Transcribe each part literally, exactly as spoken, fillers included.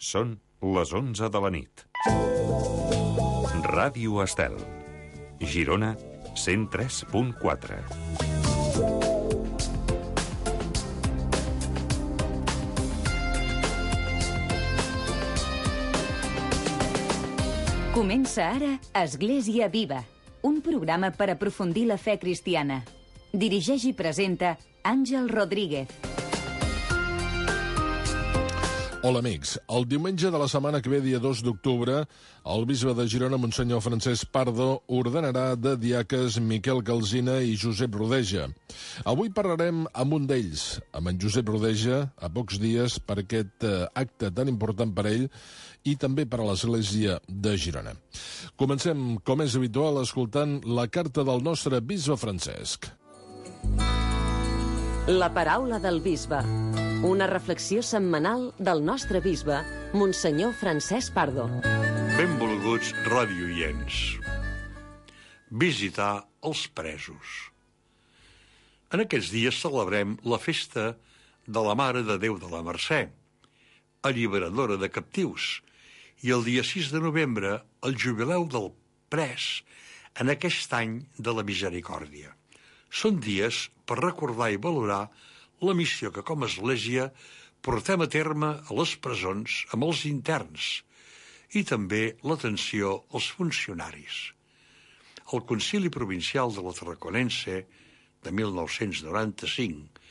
Són les onze de la nit. Ràdio Estel. Girona, cent tres punt quatre. Comença ara Església Viva, un programa per aprofundir la fe cristiana. Dirigeix i presenta Àngel Rodríguez. Hola, amics. El diumenge de la setmana que ve, dia dos d'octubre, el bisbe de Girona, Monsenyor Francesc Pardo, ordenarà de diaques Miquel Calsina i Josep Rodeja. Avui parlarem amb un d'ells, amb en Josep Rodeja, a pocs dies per aquest eh, acte tan important per ell i també per a l'Església de Girona. Comencem, com és habitual, escoltant la carta del nostre bisbe Francesc. La paraula del bisbe. Una reflexió setmanal del nostre bisbe, Monsenyor Francesc Pardo. Benvolguts radioients. Visitar els presos. En aquests dies celebrem la festa de la Mare de Déu de la Mercè, alliberadora de captius, i el dia sis de novembre el jubileu del pres en aquest any de la misericòrdia. Són dies per recordar i valorar la missió que com a Església portem a terme a les presons amb els interns i també l'atenció als funcionaris. El Concili Provincial de la Tarraconense de mil nou-cents noranta-cinc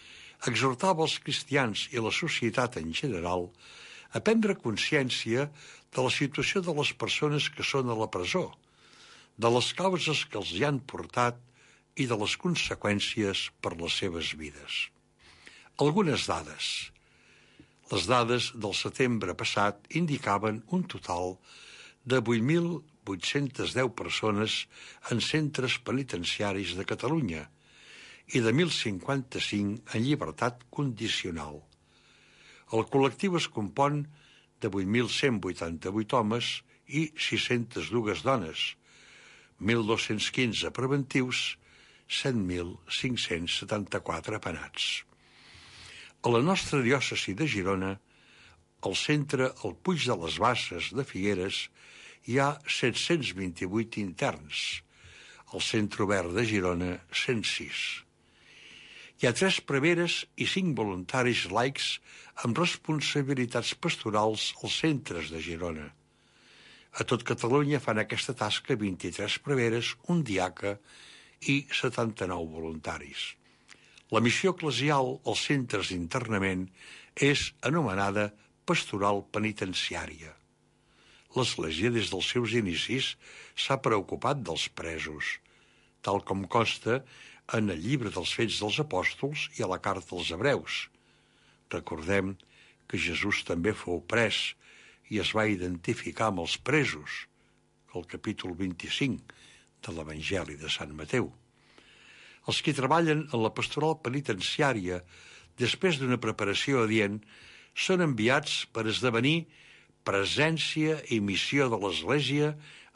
exhortava els cristians i la societat en general a prendre consciència de la situació de les persones que són a la presó, de les causes que els hi han portat i de les conseqüències per les seves vides. Algunes dades. Les dades del setembre passat indicaven un total de vuit mil vuit-cents deu persones en centres penitenciaris de Catalunya i de mil cinquanta-cinc en llibertat condicional. El col·lectiu es compon de vuit mil cent vuitanta-vuit homes i sis-centes dues dones, mil dos-cents quinze preventius, set mil cinc-cents setanta-quatre penats. A la nostra diòcesi de Girona, al centre El Puig de les Basses de Figueres, hi ha set-cents vint-i-vuit interns, al Centre Obert de Girona, cent sis. Hi ha tres preveres i cinc voluntaris laics amb responsabilitats pastorals als centres de Girona. A tot Catalunya fan aquesta tasca vint-i-tres preveres, un diaca i setanta-nou voluntaris. La missió eclesial als centres d'internament és anomenada pastoral penitenciària. L'Església, des dels seus inicis, s'ha preocupat dels presos, tal com consta en el llibre dels Fets dels Apòstols i a la carta als Hebreus. Recordem que Jesús també fou pres i es va identificar amb els presos, al capítol vint-i-cinc de l'Evangeli de Sant Mateu. Els que treballen en la pastoral penitenciària, després d'una preparació adient, són enviats per esdevenir presència i missió de l'Església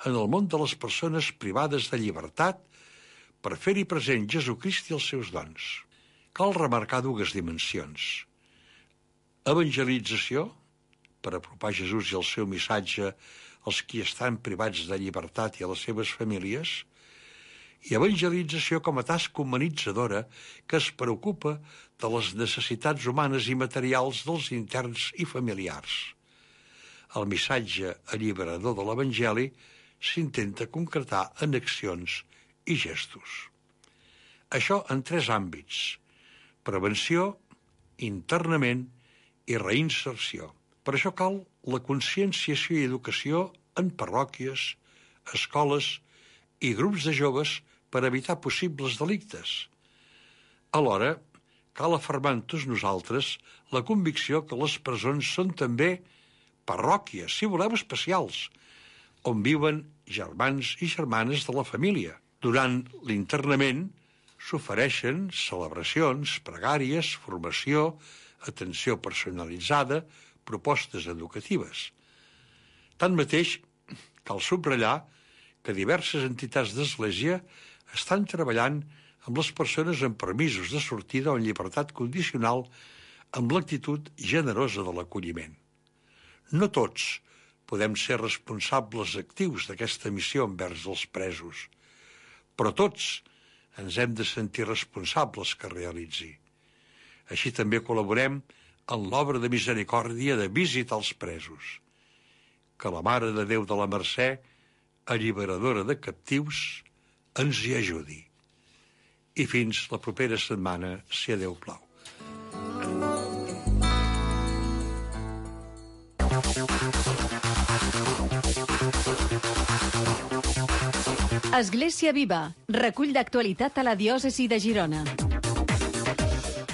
en el món de les persones privades de llibertat per fer-hi present Jesucrist i els seus dons. Cal remarcar dues dimensions. Evangelització, per apropar Jesús i el seu missatge als qui estan privats de llibertat i a les seves famílies, i evangelització com a tasca humanitzadora que es preocupa de les necessitats humanes i materials dels interns i familiars. El missatge alliberador de l'Evangeli s'intenta concretar en accions i gestos. Això en tres àmbits: prevenció, internament i reinserció. Per això cal la conscienciació i educació en parròquies, escoles i grups de joves per evitar possibles delictes. Alhora, cal afermar en tots nosaltres la convicció que les presons són també parròquies, si voleu especials, on viuen germans i germanes de la família. Durant l'internament s'ofereixen celebracions, pregàries, formació, atenció personalitzada, propostes educatives. Tanmateix, cal subratllar que diverses entitats d'Església estan treballant amb les persones amb permisos de sortida o en llibertat condicional amb l'actitud generosa de l'acolliment. No tots podem ser responsables actius d'aquesta missió envers els presos, però tots ens hem de sentir responsables que realitzi. Així també col·laborem en l'obra de misericòrdia de visitar els presos. Que la Mare de Déu de la Mercè, alliberadora de captius, ens hi ajudi. I fins la propera setmana, si a Déu plau. Església Viva, recull d'actualitat a la diòcesi de Girona.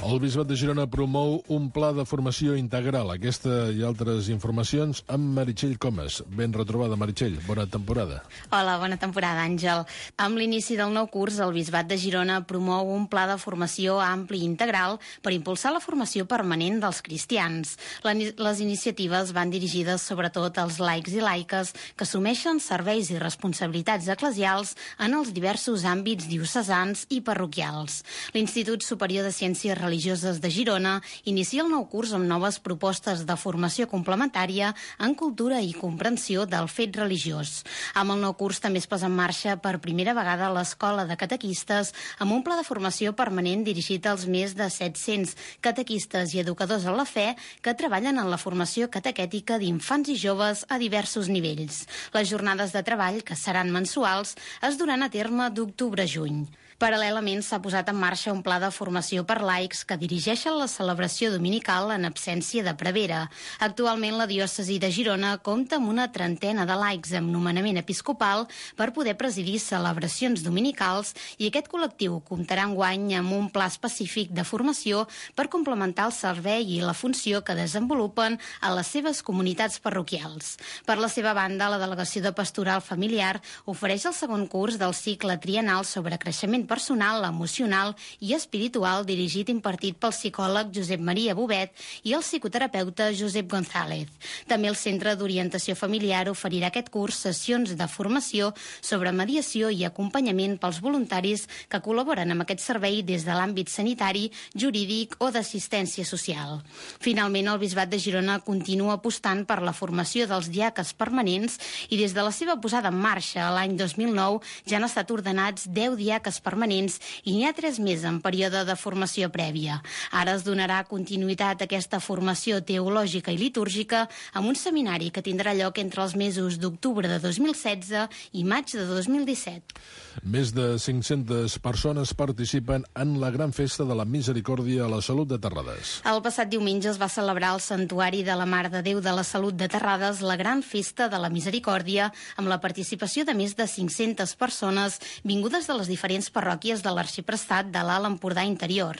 El Bisbat de Girona promou un pla de formació integral. Aquesta i altres informacions amb Meritxell Comas. Ben retrobada, Meritxell. Bona temporada. Hola, bona temporada, Àngel. Amb l'inici del nou curs, el Bisbat de Girona promou un pla de formació ampli i integral per impulsar la formació permanent dels cristians. Les iniciatives van dirigides sobretot als laics i laiques que assumeixen serveis i responsabilitats eclesials en els diversos àmbits diocesans i parroquials. L'Institut Superior de Ciències Religioses Religioses de Girona inicia el nou curs amb noves propostes de formació complementària en cultura i comprensió del fet religiós. Amb el nou curs també es posa en marxa per primera vegada l'Escola de Catequistes amb un pla de formació permanent dirigit als més de set-cents catequistes i educadors en la fe que treballen en la formació catequètica d'infants i joves a diversos nivells. Les jornades de treball, que seran mensuals, es duran a terme d'octubre a juny. Paral·lelament s'ha posat en marxa un pla de formació per laics que dirigeixen la celebració dominical en absència de prevera. Actualment la diòcesi de Girona compta amb una trentena de laics amb nomenament episcopal per poder presidir celebracions dominicals i aquest col·lectiu comptarà enguany amb un pla específic de formació per complementar el servei i la funció que desenvolupen a les seves comunitats parroquials. Per la seva banda, la Delegació de Pastoral Familiar ofereix el segon curs del cicle triennal sobre creixement personal, emocional i espiritual dirigit i impartit pel psicòleg Josep Maria Bobet i el psicoterapeuta Josep González. També el Centre d'Orientació Familiar oferirà aquest curs sessions de formació sobre mediació i acompanyament pels voluntaris que col·laboren amb aquest servei des de l'àmbit sanitari, jurídic o d'assistència social. Finalment, el Bisbat de Girona continua apostant per la formació dels diaques permanents i des de la seva posada en marxa l'any dos mil nou ja han estat ordenats deu diaques permanents permanents i n'hi ha tres més en període de formació prèvia. Ara es donarà continuïtat a aquesta formació teològica i litúrgica amb un seminari que tindrà lloc entre els mesos d'octubre de dos mil setze i maig de dos mil disset. Més de cinc-centes persones participen en la gran festa de la Misericòrdia a la Salut de Terrades. El passat diumenge es va celebrar al Santuari de la Mare de Déu de la Salut de Terrades la gran festa de la Misericòrdia amb la participació de més de cinc-centes persones vingudes de les diferents parròquies de l'Arxiprestat de l'Alt Empordà Interior.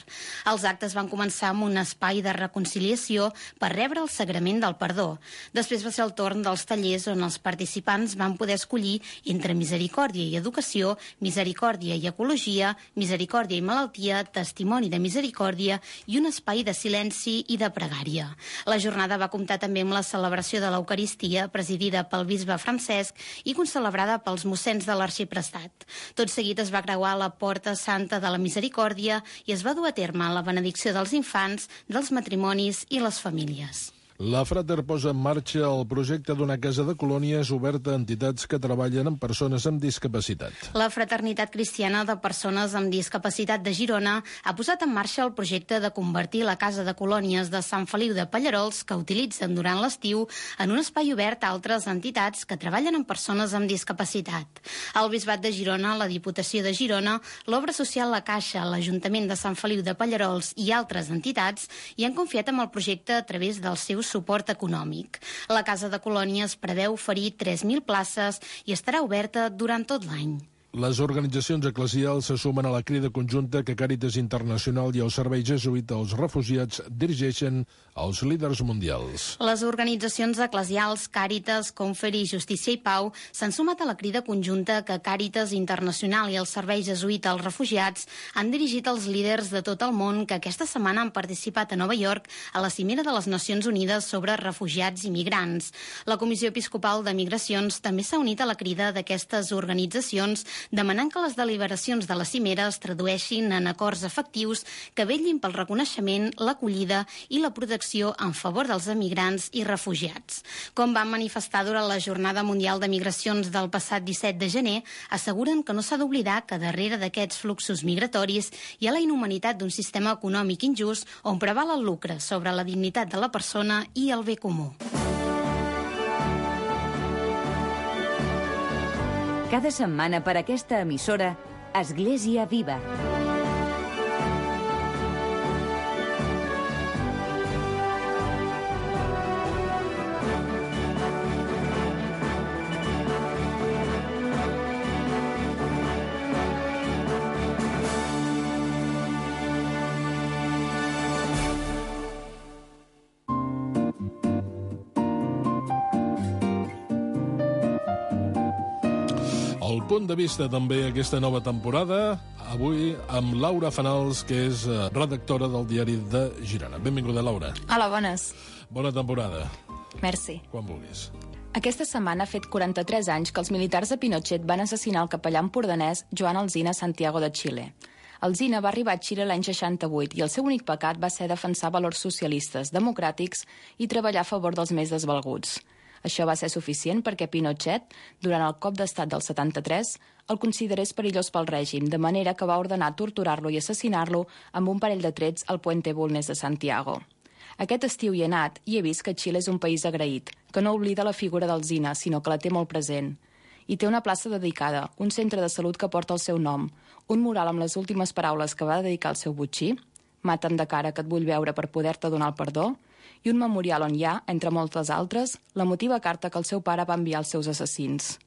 Els actes van començar amb un espai de reconciliació per rebre el sagrament del perdó. Després va ser el torn dels tallers on els participants van poder escollir entre misericòrdia i educació, misericòrdia i ecologia, misericòrdia i malaltia, testimoni de misericòrdia i un espai de silenci i de pregària. La jornada va comptar també amb la celebració de l'Eucaristia, presidida pel bisbe Francesc i concelebrada pels mossens de l'Arxiprestat. Tot seguit es va creuar la Porta Santa de la Misericòrdia i es va dur a terme la benedicció dels infants, dels matrimonis i les famílies. La Frater posa en marxa el projecte d'una casa de colònies oberta a entitats que treballen amb persones amb discapacitat. La Fraternitat Cristiana de Persones amb Discapacitat de Girona ha posat en marxa el projecte de convertir la casa de colònies de Sant Feliu de Pallerols, que utilitzen durant l'estiu, en un espai obert a altres entitats que treballen amb persones amb discapacitat. El Bisbat de Girona, la Diputació de Girona, l'Obra Social La Caixa, l'Ajuntament de Sant Feliu de Pallerols i altres entitats hi han confiat amb el projecte a través dels seus suport econòmic. La Casa de Colònies preveu oferir tres mil places i estarà oberta durant tot l'any. Les organitzacions eclesials se sumen a la crida conjunta que Càritas Internacional i el Servei Jesuïta als Refugiats dirigeixen als líders mundials. Les organitzacions eclesials Càritas, Conferi, Justícia i Pau s'han sumat a la crida conjunta que Càritas Internacional i el Servei Jesuïta als Refugiats han dirigit als líders de tot el món que aquesta setmana han participat a Nova York a la cimera de les Nacions Unides sobre refugiats i migrants. La Comissió Episcopal de Migracions també s'ha unit a la crida d'aquestes organitzacions demanant que les deliberacions de la cimera es tradueixin en acords efectius que vetllin pel reconeixement, l'acollida i la protecció en favor dels emigrants i refugiats. Com van manifestar durant la Jornada Mundial de Migracions del passat disset de gener, asseguren que no s'ha d'oblidar que darrere d'aquests fluxos migratoris hi ha la inhumanitat d'un sistema econòmic injust on preval el lucre sobre la dignitat de la persona i el bé comú. Cada setmana per aquesta emissora, Església Viva. El punt de vista també aquesta nova temporada, avui amb Laura Fanals, que és redactora del Diari de Girona. Benvinguda, Laura. Hola, bones. Bona temporada. Merci. Quan vulguis. Aquesta setmana ha fet quaranta-tres anys que els militars de Pinochet van assassinar el capellà empordanès Joan Alsina Santiago de Xile. Alsina va arribar a Xile l'any seixanta-vuit i el seu únic pecat va ser defensar valors socialistes, democràtics i treballar a favor dels més desvalguts. Això va ser suficient perquè Pinochet, durant el cop d'estat del setanta-tres, el considerés perillós pel règim, de manera que va ordenar torturar-lo i assassinar-lo amb un parell de trets al Puente Bulnes de Santiago. Aquest estiu hi he anat i he vist que Xile és un país agraït, que no oblida la figura d'Alsina, sinó que la té molt present. Hi té una plaça dedicada, un centre de salut que porta el seu nom, un mural amb les últimes paraules que va dedicar al seu botxí, «Mata'n de cara que et vull veure per poder-te donar el perdó», i un memorial on hi ha, entre moltes altres, l'emotiva carta que el seu pare va enviar als seus assassins.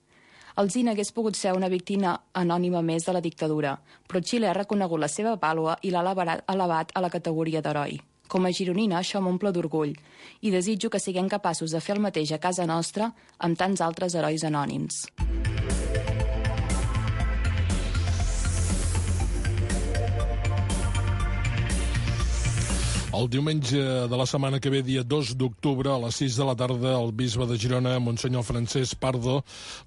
Alsina hagués pogut ser una víctima anònima més de la dictadura, però Xile ha reconegut la seva vàlua i l'ha elevat a la categoria d'heroi. Com a gironina, això m'omple d'orgull, i desitjo que siguem capaços de fer el mateix a casa nostra amb tants altres herois anònims. El diumenge de la setmana que ve, dia dos d'octubre, a les sis de la tarda, el bisbe de Girona, Monsenyor Francesc Pardo,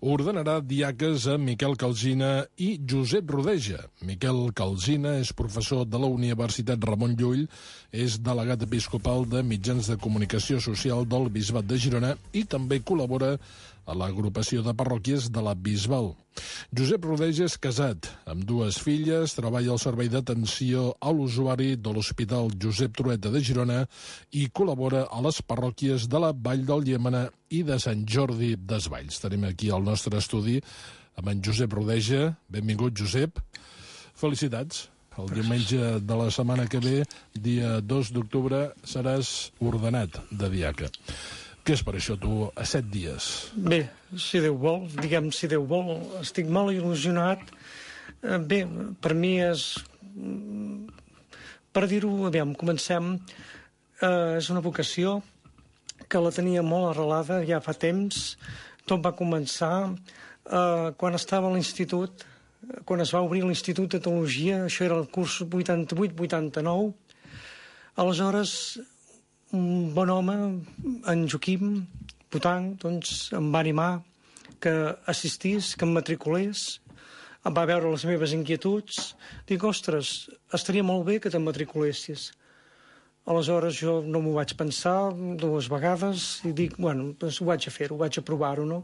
ordenarà diaques a Miquel Calsina i Josep Rodeja. Miquel Calsina és professor de la Universitat Ramon Llull, és delegat episcopal de mitjans de comunicació social del bisbat de Girona i també col·labora a l'agrupació de parròquies de la Bisbal. Josep Rodeja és casat, amb dues filles, treballa al servei d'atenció a l'usuari de l'Hospital Josep Trueta de Girona i col·labora a les parròquies de la Vall del Llémena i de Sant Jordi Desvalls. Tenim aquí al nostre estudi amb en Josep Rodeja. Benvingut, Josep. Felicitats. El diumenge de la setmana que ve, dia dos d'octubre, seràs ordenat de diaca. Què és per això, tu, a set dies? Bé, si Déu vol, diguem si Déu vol, estic molt il·lusionat. Bé, per mi és... Per dir-ho, aviam, comencem. Eh, és una vocació que la tenia molt arrelada ja fa temps. Tot va començar eh, quan estava a l'institut, quan es va obrir l'Institut de Teologia, això era el curs vuitanta-vuit vuitanta-nou. Aleshores, un bon home, en Joaquim Potanc, doncs, em va animar que assistís, que em matriculés, em va veure les meves inquietuds. Dic, ostres, estaria molt bé que te'n matriculessis. Aleshores jo no m'ho vaig pensar dues vegades i dic, bueno, doncs ho vaig a fer, ho vaig a provar-ho, no?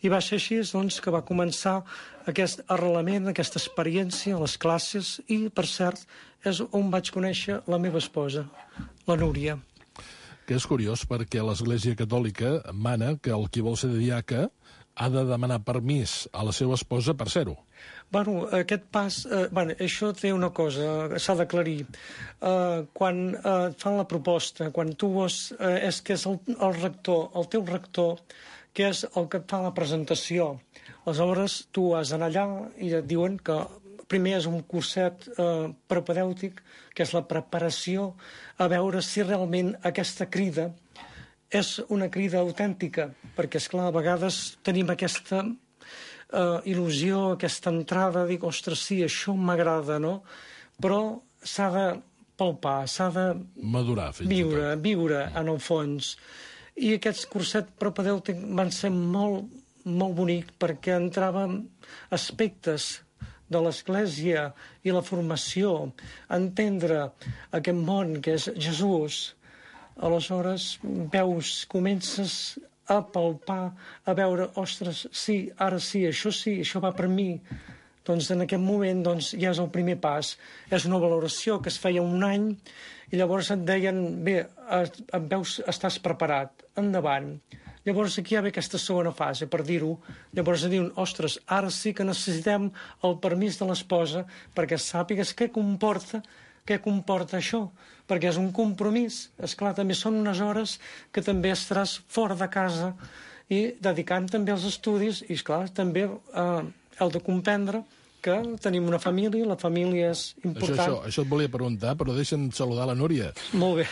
I va ser així, doncs, que va començar aquest arrelament, aquesta experiència a les classes i, per cert, és on vaig conèixer la meva esposa, la Núria. Que és curiós perquè l'Església Catòlica mana que el qui vol ser diaca ha de demanar permís a la seva esposa per ser-ho. Bueno, aquest pas... Eh, bueno, això té una cosa, s'ha d'aclarir. Eh, quan eh, et fan la proposta, quan tu vols... Eh, és que és el, el rector, el teu rector, que és el que et fa la presentació. Aleshores, tu has d'anar allà i et diuen que primer és un curset eh, propedèutic, que és la preparació a veure si realment aquesta crida és una crida autèntica, perquè, esclar, a vegades tenim aquesta eh, il·lusió, aquesta entrada, dic, ostres, sí, això m'agrada, no? Però s'ha de palpar, s'ha de madurar, viure, viure en el fons. I aquests curset propedèutic van ser molt, molt bonic perquè entrava aspectes de l'Església i la formació, entendre aquest món que és Jesús. Aleshores, veus, comences a palpar, a veure, ostres, sí, ara sí, això sí, això va per mi. Doncs en aquest moment doncs, ja és el primer pas. És una valoració que es feia un any i llavors et deien, bé, et veus, estàs preparat, endavant. Llavors aquí hi ha aquesta segona fase, per dir-ho. Llavors diuen, ostres, ara sí que necessitem el permís de l'esposa perquè sàpigues què comporta, què comporta això, perquè és un compromís. Esclar, també són unes hores que també estaràs fora de casa i dedicant també als estudis i, esclar, també eh, heu de comprendre que tenim una família, la família és important. Això, això, això et volia preguntar, però deixa'm saludar la Núria. Molt bé.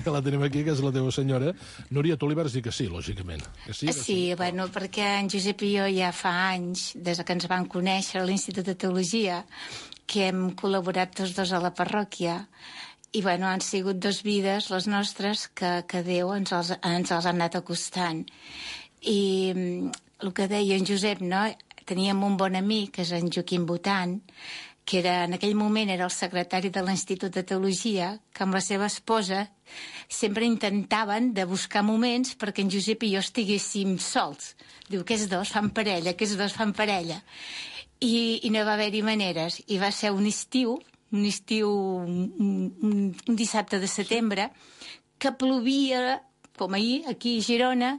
Que la tenim aquí, que és la teva senyora. Núria, tu li vas dir que sí, lògicament. Que sí, que sí, sí, bueno, perquè en Josep i jo ja fa anys, des que ens vam conèixer a l'Institut de Teologia, que hem col·laborat tots dos a la parròquia, i bueno, han sigut dos vides, les nostres, que, que Déu ens els, ens els ha anat acostant. I el que deia en Josep, no?, teníem un bon amic, que és en Joaquim Botan, que era, en aquell moment era el secretari de l'Institut de Teologia, que amb la seva esposa sempre intentaven de buscar moments perquè en Josep i jo estiguéssim sols. Diu, aquests dos fan parella, aquests dos fan parella. I, i no va haver-hi maneres. I va ser un estiu, un estiu, un, un, un dissabte de setembre, que plovia, com ahir, aquí a Girona,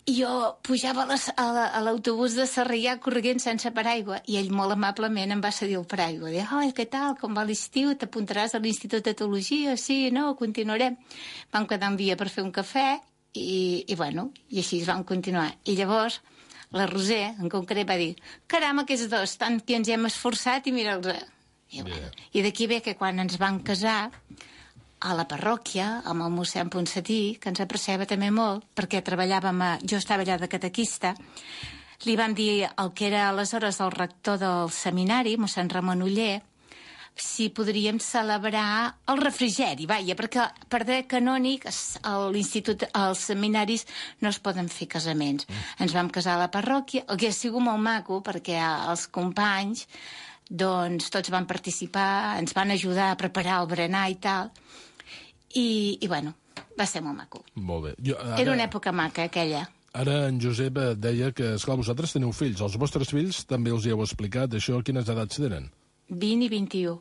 i jo pujava a l'autobús de Sarrià corrent sense paraigua i ell molt amablement em va cedir el paraigua. Deia, oh, què tal, com va l'estiu? T'apuntaràs a l'Institut de Teologia? Sí, no, continuarem. Vam quedar un dia per fer un cafè i, i bueno, i així vam continuar. I llavors la Roser, en concret, va dir, caram, aquests dos, tant que ens hem esforçat i mira'ls. I, bueno, i d'aquí ve que quan ens vam casar a la parròquia, amb el mossèn Ponsatí, que ens apreciava també molt, perquè treballàvem, a, jo estava allà de catequista, li van dir el que era aleshores el rector del seminari, mossèn Ramon Oller, si podríem celebrar el refrigeri, vaja, perquè per dret canònic a l'institut, als seminaris no es poden fer casaments. Mm. Ens vam casar a la parròquia, el que ha sigut molt maco, perquè els companys doncs tots van participar, ens van ajudar a preparar el berenar i tal, I, i bueno, va ser molt maco. Molt bé. Jo, ara, Era una època maca, aquella. Ara en Josep deia que, esclar, vosaltres teniu fills. Els vostres fills també els hi heu explicat. Això, quines edats tenen? vint i vint-i-u.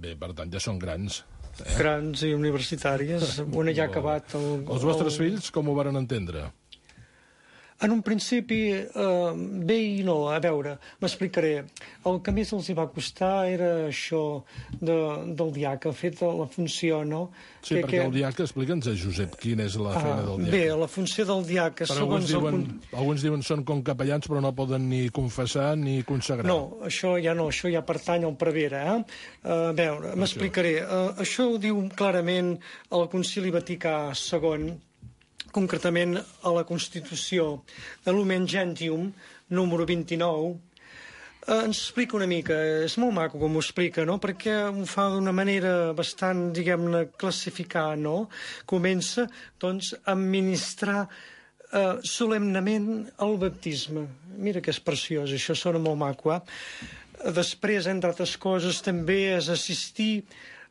Bé, per tant, ja són grans. Eh? Grans i universitàries. Una ja ha acabat. El, Els vostres el... fills com ho varen entendre? En un principi, eh, bé i no, a veure, m'explicaré. El que més els hi va costar era això de, del diaca, fet la funció, no? Sí, que, perquè que... el diaca, explica'ns, Josep, quina és la ah, feina del diaca. Bé, la funció del diaca, però segons... Alguns diuen, el... alguns diuen són com capellans, però no poden ni confessar ni consagrar. No, això ja no, això ja pertany al prevere, eh? A veure, m'explicaré. Uh, això ho diu clarament el Concili Vaticà segon, concretament a la Constitució de Lumen Gentium, número vint-i-nou, eh, ens explica una mica, és molt maco com ho explica, no?, perquè ho fa d'una manera bastant, diguem-ne, classificar, no? Comença, doncs, a administrar eh, solemnament el baptisme. Mira que és preciós, això sona molt maco, eh? Després, entre altres coses, també és assistir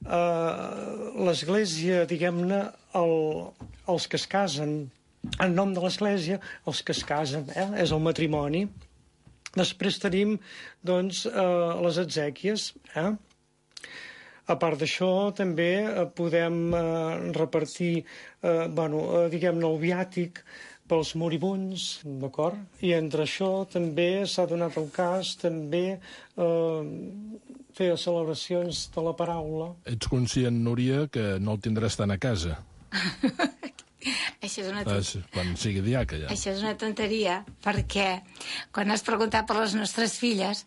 a l'Església, diguem-ne, el, els que es casen, en nom de l'Església, els que es casen, eh? És el matrimoni. Després tenim, doncs, eh, les exèquies, eh? A part d'això, també eh, podem eh, repartir, eh, bueno, eh, diguem-ne, el viàtic pels moribunds, d'acord? I entre això també s'ha donat el cas, també eh, fer celebracions de la paraula. Ets conscient, Núria, que no el tindràs tant a casa? Això és una tonteria. Quan sigui diaca, ja. Això és una tonteria, perquè quan has preguntat per les nostres filles,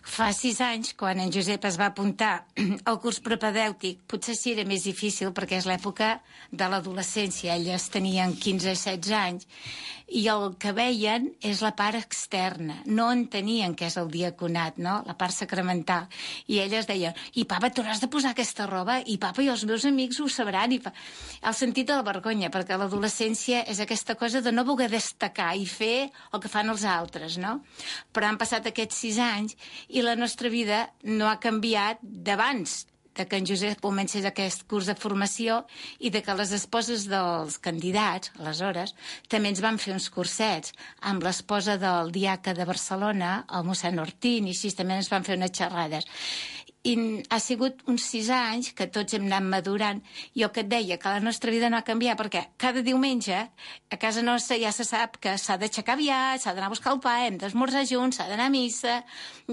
fa sis anys, quan en Josep es va apuntar al curs propedèutic, potser sí era més difícil, perquè és l'època de l'adolescència, elles tenien quinze a setze anys, i el que veien és la part externa, no entenien què és el diaconat, no?, la part sacramental, i elles deien, i papa, t'hauràs de posar aquesta roba, i papa, i els meus amics ho sabran, i pa... el sentit de la vergonya, perquè la l'adolescència és aquesta cosa de no voler destacar i fer el que fan els altres, no? Però han passat aquests sis anys i la nostra vida no ha canviat d'abans de que en Josep comencés aquest curs de formació i de que les esposes dels candidats, aleshores, també ens van fer uns cursets amb l'esposa del diaca de Barcelona, el mossèn Ortín, i així també ens van fer unes xerrades. I ha sigut uns sis anys que tots hem anat madurant. Jo que et deia que la nostra vida no ha canviat, perquè cada diumenge a casa nostra ja se sap que s'ha d'aixecar aviat, s'ha d'anar a buscar el pa, hem d'esmorzar junts, s'ha d'anar a missa.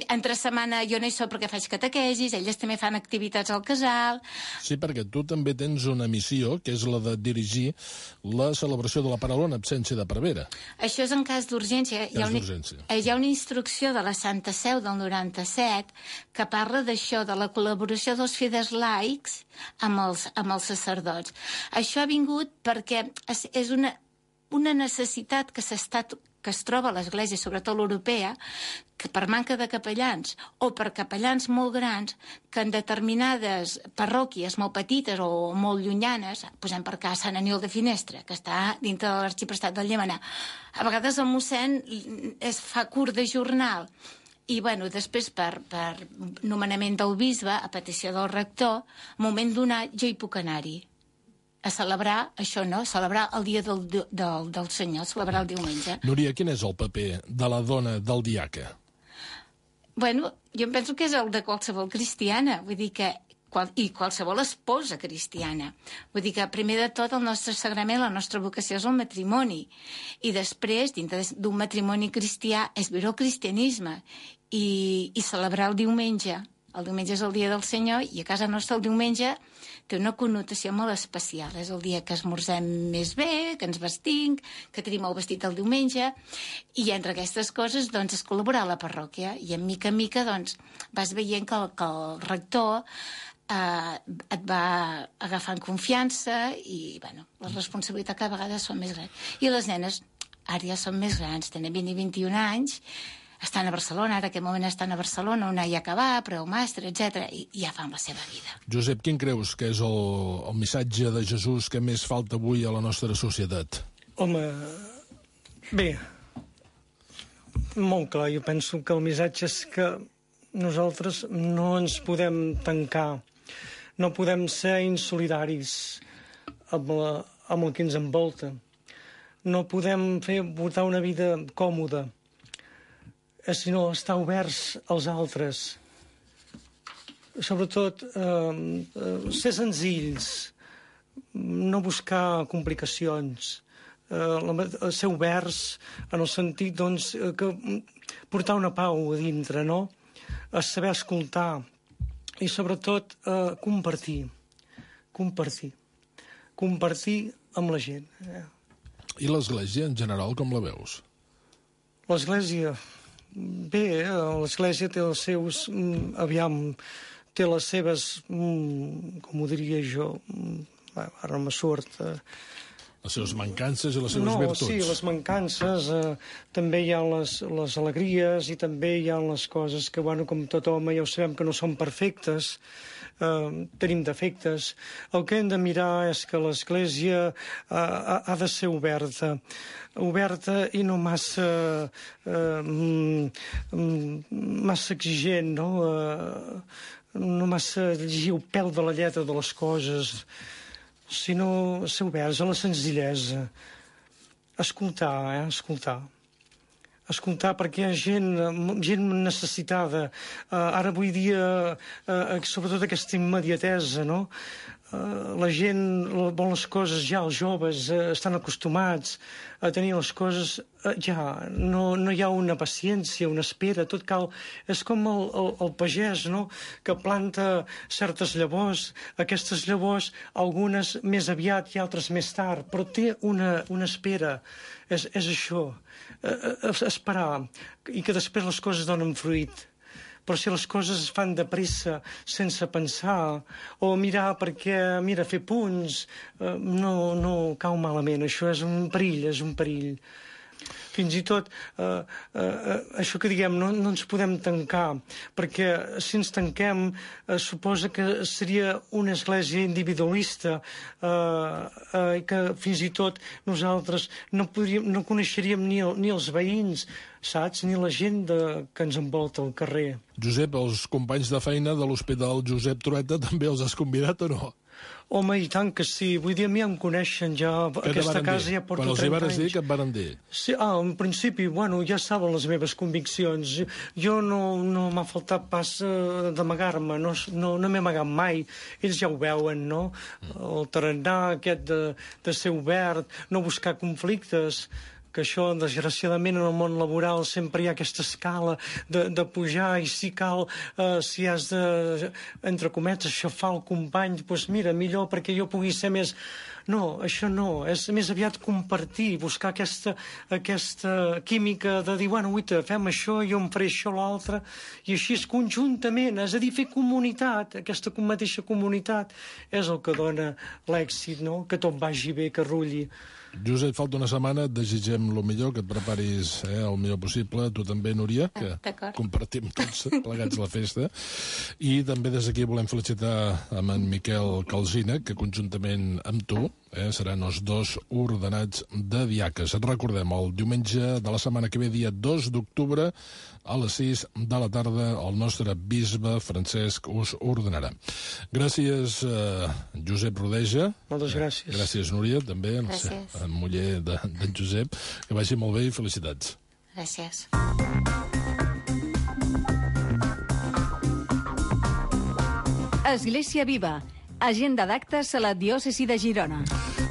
Entre setmana jo no hi soc perquè faig catequesis, elles també fan activitats al casal. Sí, perquè tu també tens una missió, que és la de dirigir la celebració de la Paraula en absència de prevera. Això és en cas d'urgència. Hi ha, una, hi ha una instrucció de la Santa Seu del noranta-set que parla d'això, de la col·laboració dels fidels laics amb els, amb els sacerdots. Això ha vingut perquè és, és una, una necessitat que s'està que es troba a l'Església, sobretot l'europea, que per manca de capellans o per capellans molt grans, que en determinades parròquies molt petites o molt llunyanes, posem per cas Sant Aniol de Finestra, que està dintre de l'arxiprestat del Llemenar, a vegades el mossèn es fa curt de jornal. I, bueno, després, per, per nomenament del bisbe, a petició del rector, moment donat, jo hi puc anar-hi. A celebrar, això no, celebrar el dia del, del, del Senyor, celebrar el diumenge. Núria, quin és el paper de la dona del diaca? Bueno, jo em penso que és el de qualsevol cristiana, vull dir que qual, i qualsevol esposa cristiana. Vull dir que, primer de tot, el nostre sagrament, la nostra vocació és el matrimoni. I després, dintre d'un matrimoni cristià, és viure el cristianisme i, i celebrar el diumenge. El diumenge és el dia del Senyor i a casa nostra el diumenge té una connotació molt especial. És el dia que esmorzem més bé, que ens vestim, que tenim el vestit el diumenge, i entre aquestes coses doncs, es col·labora a la parròquia. I en mica en mica doncs, vas veient que el, que el rector eh, et va agafant confiança i bueno, les responsabilitats cada vegada són més grans. I les nenes ara ja són més grans, tenen vint i vint-i-un anys, estan a Barcelona, ara aquest moment estan a Barcelona, una ja acabà, preu màster, etcètera, i ja fan la seva vida. Josep, quin creus que és el, el missatge de Jesús que més falta avui a la nostra societat? Home, bé, molt clar, jo penso que el missatge és que nosaltres no ens podem tancar, no podem ser insolidaris amb, la, amb el que ens envolta, no podem fer portar una vida còmoda, sinó estar oberts als altres. Sobretot, eh, ser senzills, no buscar complicacions, eh, ser oberts en el sentit doncs, que portar una pau a dintre, no? A saber escoltar i sobretot eh, compartir, compartir, compartir amb la gent. Eh? I l'Església en general com la veus? L'Església... Bé, l'Església té els seus, aviam, té les seves, com ho diria jo, ara no me surt... Les seves mancances i les seves no, virtuts. Sí, les mancances, eh, també hi ha les, les alegries i també hi ha les coses que, bueno, com tot home ja ho sabem que no són perfectes, eh, tenim defectes. El que hem de mirar és que l'Església eh, ha, ha de ser oberta, oberta i no massa, eh, massa exigent, no? Eh, no massa llegir el pèl de la lletra de les coses, sinó ser oberts a la senzillesa. Escoltar, eh? Escoltar. Escoltar perquè hi ha gent, gent necessitada. Uh, ara avui dia, uh, sobretot aquesta immediatesa, no? Uh, la gent vol les coses ja, els joves uh, estan acostumats a tenir les coses uh, ja, no, no hi ha una paciència, una espera, tot cal... És com el, el, el pagès, no?, que planta certes llavors, aquestes llavors, algunes més aviat i altres més tard, però té una, una espera, és, és això, uh, esperar, i que després les coses donen fruit. Però si les coses es fan de pressa, sense pensar, o mirar perquè, mira, fer punts, eh, no, no cau malament. Això és un perill, és un perill. Fins i tot, eh, eh, això que diguem, no, no ens podem tancar, perquè si ens tanquem eh, suposa que seria una església individualista, eh, eh, que fins i tot nosaltres no, podríem, no coneixeríem ni, el, ni els veïns, saps? Ni la gent de, que ens envolta al carrer. Josep, els companys de feina de l'Hospital Josep Trueta també els has convidat o no? Home, i tant que sí. Vull dir, a mi em coneixen ja. Què Aquesta casa dir? ja porta trenta anys. Quan els hi vares dir, què et varen dir? Sí, ah, en principi, bueno, ja saben les meves conviccions. Jo no, no m'ha faltat pas uh, d'amagar-me, no, no, no m'he amagat mai. Ells ja ho veuen, no? Mm. El tarannà aquest de, de ser obert, no buscar conflictes, que això, desgraciadament, en el món laboral sempre hi ha aquesta escala de, de pujar, i si cal, eh, si has de, entre cometes, xafar el company, doncs mira, millor perquè jo pugui ser més... No, això no, és més aviat compartir, buscar aquesta, aquesta química de dir, bueno, uita, fem això, jo em faré això, l'altre, i així és conjuntament, és a dir, fer comunitat, aquesta mateixa comunitat és el que dona l'èxit, no? Que tot vagi bé, que rulli. Josep, falta una setmana, et desitgem el millor, que et preparis eh, el millor possible. Tu també, Núria, que ah, compartim tots plegats la festa. I també des d'aquí volem felicitar amb en Miquel Calsina, que conjuntament amb tu eh, seran els dos ordenats de diaques. Et recordem, el diumenge de la setmana que ve, dia dos d'octubre, a les sis de la tarda, el nostre bisbe Francesc us ordenarà. Gràcies, eh, Josep Rodeja. Moltes gràcies. Eh, gràcies, Núria, també. Gràcies. En muller d'en de, Josep, que vagi molt bé i felicitats. Gràcies. Església Viva, agenda d'actes a la diòcesi de Girona.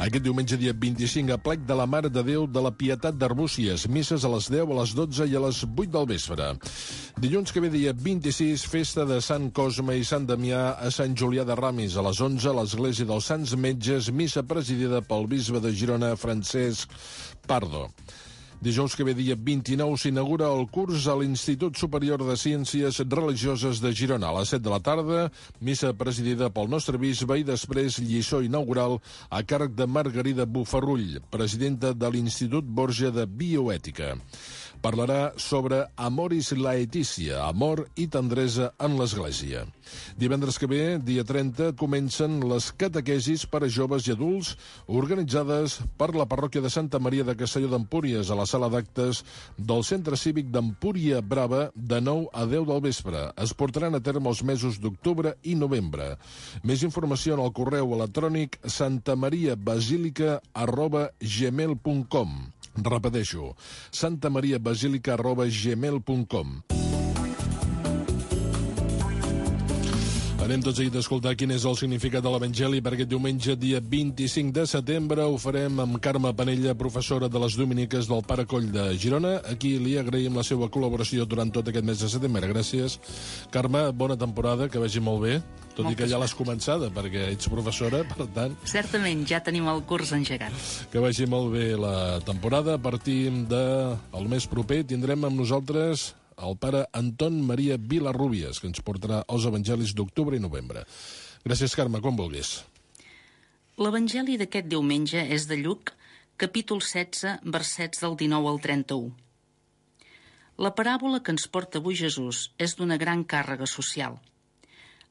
Aquest diumenge, dia vint-i-cinc, a plec de la Mare de Déu de la Pietat d'Arbúcies. Misses a les deu, a les dotze i a les vuit del vespre. Dilluns que ve, dia vint-i-sis, festa de Sant Cosme i Sant Damià a Sant Julià de Ramis. A les onze, a l'església dels Sants Metges, missa presidida pel bisbe de Girona, Francesc Pardo. Dijous que ve, dia vint-i-nou, s'inaugura el curs a l'Institut Superior de Ciències Religioses de Girona. A les set de la tarda, missa presidida pel nostre bisbe i després lliçó inaugural a càrrec de Margarida Bufarrull, presidenta de l'Institut Borja de Bioètica. Parlarà sobre Amoris Laetitia, amor i tendresa en l'Església. Divendres que ve, dia trenta, comencen les catequesis per a joves i adults organitzades per la parròquia de Santa Maria de Castelló d'Empúries a la sala d'actes del Centre Cívic d'Empúria Brava de nou a deu del vespre. Es portaran a terme els mesos d'octubre i novembre. Més informació en el correu electrònic santamariabasilica arroba gmail punt com. Repeteixo, santamariabasilica arroba gmail punt com. Anem tots seguit a escoltar quin és el significat de l'Evangeli per aquest diumenge, dia vint-i-cinc de setembre. Ho farem amb Carme Penella, professora de les Dominiques del Pare Coll de Girona. Aquí li agraïm la seva col·laboració durant tot aquest mes de setembre. Gràcies. Carme, bona temporada, que vagi molt bé. Tot Moltes i que ja l'has començada, perquè ets professora, per tant... Certament, ja tenim el curs engegat. Que vagi molt bé la temporada. A partir del mes proper tindrem amb nosaltres el pare Anton Maria Vilarrubias, que ens portarà els evangelis d'octubre i novembre. Gràcies, Carme, com vulguis. L'evangeli d'aquest diumenge és de Lluc, capítol setze, versets del dinou al trenta-u. La paràbola que ens porta avui Jesús és d'una gran càrrega social.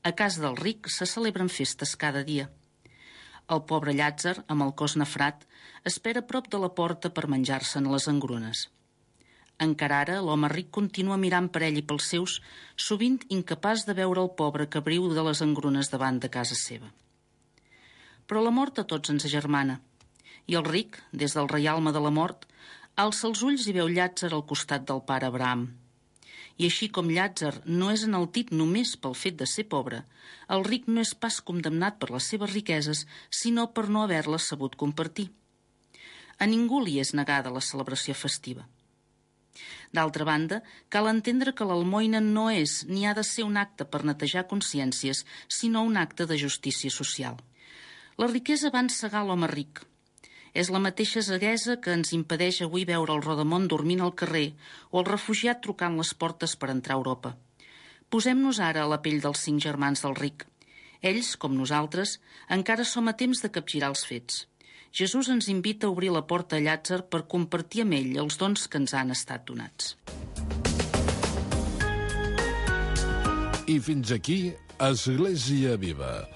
A casa del ric se celebren festes cada dia. El pobre Llàtzer, amb el cos nafrat, espera a prop de la porta per menjar-se'n les engrunes. Encara ara, l'home ric continua mirant per ell i pels seus, sovint incapaç de veure el pobre que briu de les engrunes davant de casa seva. Però la mort a tots ens agermana, i el ric, des del reialme de la mort, alça els ulls i veu Llàtzer al costat del pare Abraham. I així com Llàtzer no és enaltit només pel fet de ser pobre, el ric no és pas condemnat per les seves riqueses, sinó per no haver-les sabut compartir. A ningú li és negada la celebració festiva. D'altra banda, cal entendre que l'almoina no és ni ha de ser un acte per netejar consciències, sinó un acte de justícia social. La riquesa va encegar l'home ric. És la mateixa ceguesa que ens impedeix avui veure el rodamont dormint al carrer o el refugiat trucant les portes per entrar a Europa. Posem-nos ara a la pell dels cinc germans del ric. Ells, com nosaltres, encara som a temps de capgirar els fets. Jesús ens invita a obrir la porta a Llàtzer per compartir amb ell els dons que ens han estat donats. I fins aquí, Església Viva.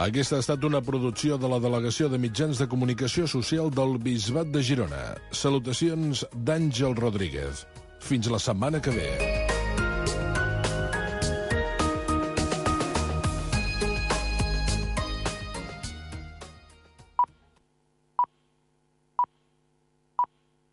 Aquesta ha estat una producció de la Delegació de Mitjans de Comunicació Social del Bisbat de Girona. Salutacions d'Àngel Rodríguez. Fins la setmana que ve.